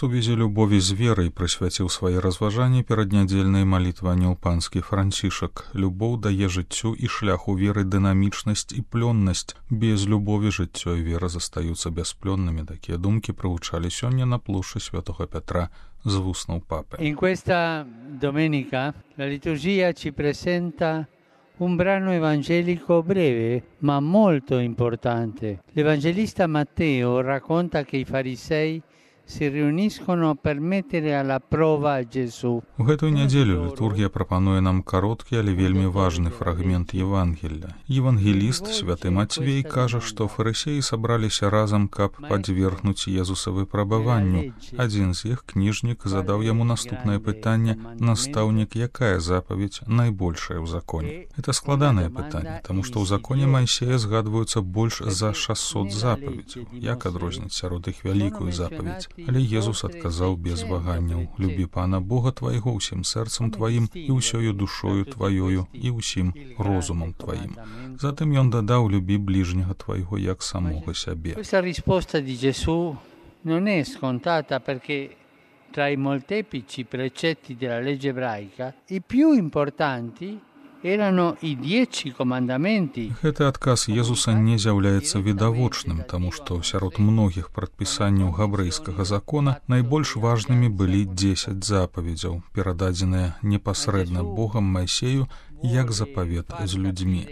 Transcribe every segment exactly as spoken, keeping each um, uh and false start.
сувязі любові з верай прысвяціў свае разважанні перад нядзельнай малітванняў панскі Францішак. Любоў дае жыццю і шляху веры дынамічнасць і плённасць. Без любові жыццё і вера застаюцца бясплённымі. Такія думкі прагучалі сёння на плошчы Святога Пятра з вуснаў папы. In questa domenica la liturgia ci presenta un brano evangelico breve ma molto importante. L'Evangelista Matteo racconta che i farisei si riuniscono per mettere alla prova Gesù. У гэтую нядзелю літургія прапануе нам кароткі, але вельмі важны фрагмент Евангелля. Евангеліст святы Мацвей кажа, што фарысеі сабраліся разам, каб падвергнуць Езуса выпрабаванню. Адзін з іх, кніжнік, задаў яму наступнае пытанне: «Настаўнік, якая запаведь найбольшая ў законе?» Это складанае пытанне, таму што ў законе Майсея згадваюцца больш за шасот запаведзяў. Як адрозніць сярод іх вялікую запаведь? Але Езус адказаў без ваганняў: «Любі Пана Бога твайго ўсім сэрцам тваім і ўсёю душою тваёю і ўсім розумам тваім». Затым ён дадаў: «Любі ближнего твайго як самога сябе». Questa risposta di Gesù non è scontata perché tra i molteplici precetti della legge ebraica i più importanti erano i dieci comandamenti. Гэты адказ Езуса не з'яўляецца відавочным, таму што сярод многіх прадпісанняў габрэйскага закона найбольш важнымі былі дзесяць запаведзяў, перададзеныя непасрэдна Богам Майсею як запавет з людзьмі.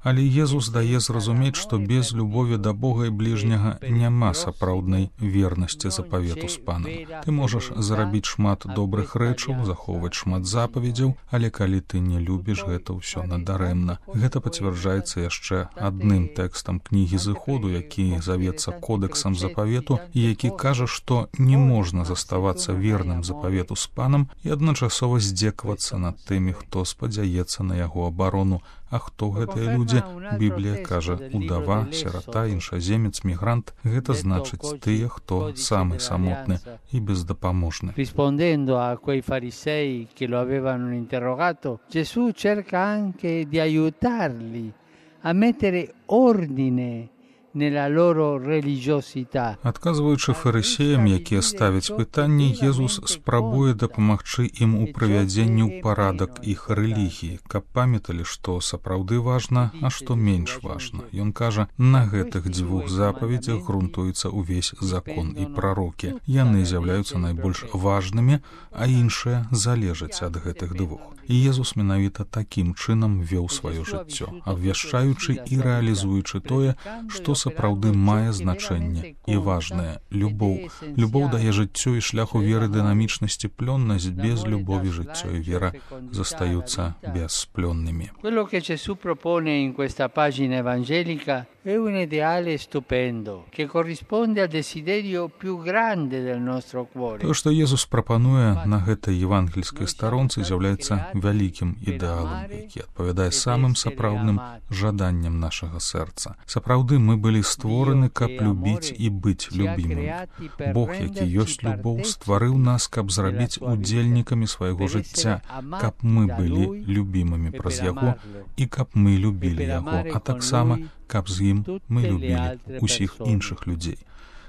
Але Езус дае зразумець, што без любові да Бога і бліжняга няма сапраўднай вернасці запавету з Панам. Ты можаш зарабіць шмат добрых рэчаў, захоўваць шмат запаведзяў, але калі ты не любіш, гэта ўсё надарэмна. Гэта пацвярджаецца яшчэ адным тэкстам кнігі Зыходу, які завецца кодэксам запавету і які кажа, што не можна заставацца верным запавету з Панам і адначасова здзекавацца над тымі, хто спадзяецца на яго абарону. А хто гэтыя людзі? Біблія кажа: удава, сірата, іншаземец, мігрант. Гэта значыць тыя, хто самы самотны і бездапаможны. Rispondendo a quei farisei che lo avevano interrogato, Gesù cerca anche di aiutarli a mettere ordine nella loro religiosità. Адказваючы фарысеям, якія ставяць пытанні, Езус спрабуе дапамагчы ім у прывядзенні ў парадак іх рэлігіі, каб памяталі, што сапраўды важна, а што менш важна. Ён кажа: на гэтых дзвюх запаведзях грунтуецца ўвесь закон і прарокі. Яны з'яўляюцца найбольш важнымі, а іншыя залежаць ад гэтых двух. І Езус менавіта такім чынам вёў сваё жыццё, абвяшчаючы і рэалізуючы тое, што сапраўды мае значэнне і важнае — любоў. Любоў дае жыццю і шляху веры дынамічнасці плённасць. Без любові жыццё і вера застаюцца бясплённымі. Quello che Gesù propone in questa pagina evangelica è un ideale stupendo che corrisponde al desiderio più grande del nostro cuore. То, што Езус прапануе на гэтай евангельскай старонцы, з'яўляецца вялікім ідэалам, які адпавядае самым сапраўдным жаданням нашага сэрца. Сапраўды мы былі створаны, каб любіць і быць любімым. Бог, які ёсць любоў, стварыў нас, каб зрабіць удзельнікамі свайго жыцця, каб мы былі любімымі праз яго і каб мы любілі яго, а таксама каб з ім мы любілі ўсіх іншых людзей.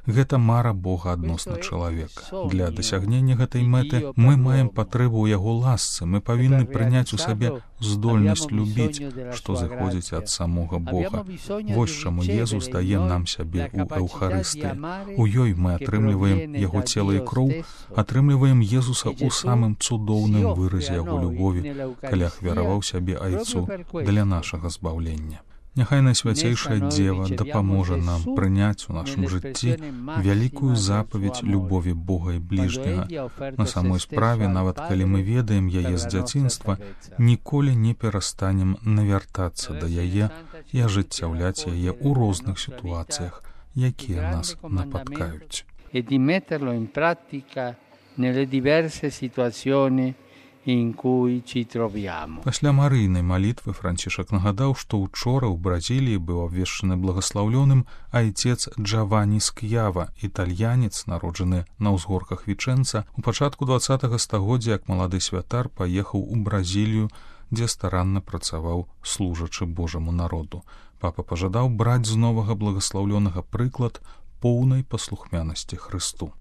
Гэта мара Бога адносна чалавека. Для дасягнення гэтай мэты мы маем патрэбу ў яго ласцы. Мы павінны прыняць у сабе здольнасць любіць, што зыходзіць ад самога Бога. Вось чаму Езус дае нам сябе ў Эўхарыстыі. У ёй мы атрымліваем яго цела і кроў, атрымліваем Езуса ў самым цудоўным выразе яго любові, калі ахвяраваў сябе айцу для нашага збаўлення. Няхай Найсвяцейшая Дзева дапаможа нам прыняць у нашым жыцці вялікую запаведь любові Бога і бліжняга. На самой справе, нават калі мы ведаем яе з дзяцінства, ніколі не перастанем навяртацца да яе і ажыццяўляць яе ў розных сітуацыях, якія нас напаткаюць. E di metterlo in pratica nelle diverse situazioni in cui ci troviamo. Пасля марыйнай малітвы Францішак нагадаў, што ўчора ў Бразіліі быў абвешчаны благаслаўлёным айцец Джавані Ск'ява, італьянец, народжаны на ўзгорках Вічэнца. У пачатку дваццатага стагоддзя як малады святар паехаў у Бразілію, дзе старанна працаваў служачы Божаму народу. Папа пажадаў браць з новага благаслаўлёнага прыклад поўнай паслухмянасці Хрысту.